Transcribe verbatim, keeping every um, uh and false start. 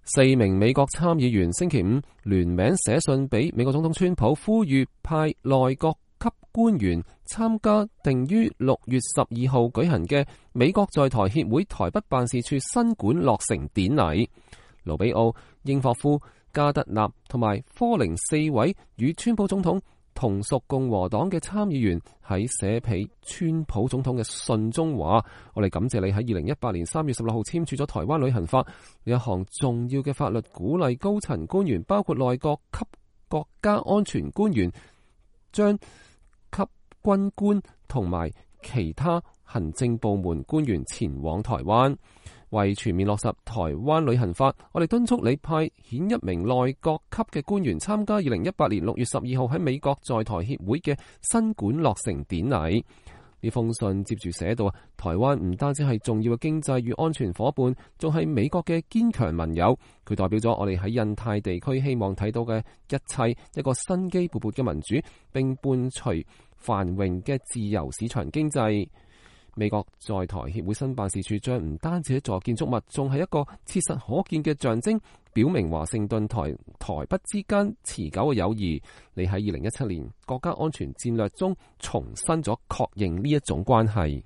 四名美國參議員星期五聯名寫信俾美國總統川普，呼籲派內閣級官員參加定於六月十二號舉行嘅美國在台協會台北辦事處新館落成典禮。盧比奧、英霍夫、加德納同埋科寧四位與川普總統同屬共和黨嘅參議員喺寫俾川普總統嘅信中話：我哋感謝你喺二零一八年三月十六號簽署咗台灣旅行法，呢一項重要嘅法律鼓勵高層官員，包括內閣級國家安全官員，將級軍官同埋其他行政部門官員前往台灣。為全面落實台灣旅行法，我哋敦促你派遣一名內閣級嘅官員參加二零一八年六月十二號喺美國在台協會嘅新館落成典禮。呢封信接住寫到，台灣唔單止係重要嘅經濟與安全夥伴，仲係美國嘅堅強盟友。佢代表咗我哋喺印太地區希望睇到嘅一切，一個生機勃勃嘅民主，並伴隨繁榮嘅自由市場經濟。美國在台協會新辦事處將唔單止一座建築物，仲係一個切實可見嘅象徵，表明華盛頓台台北之間持久嘅友誼。你喺二零一七年國家安全戰略中重申咗確認呢一種關係。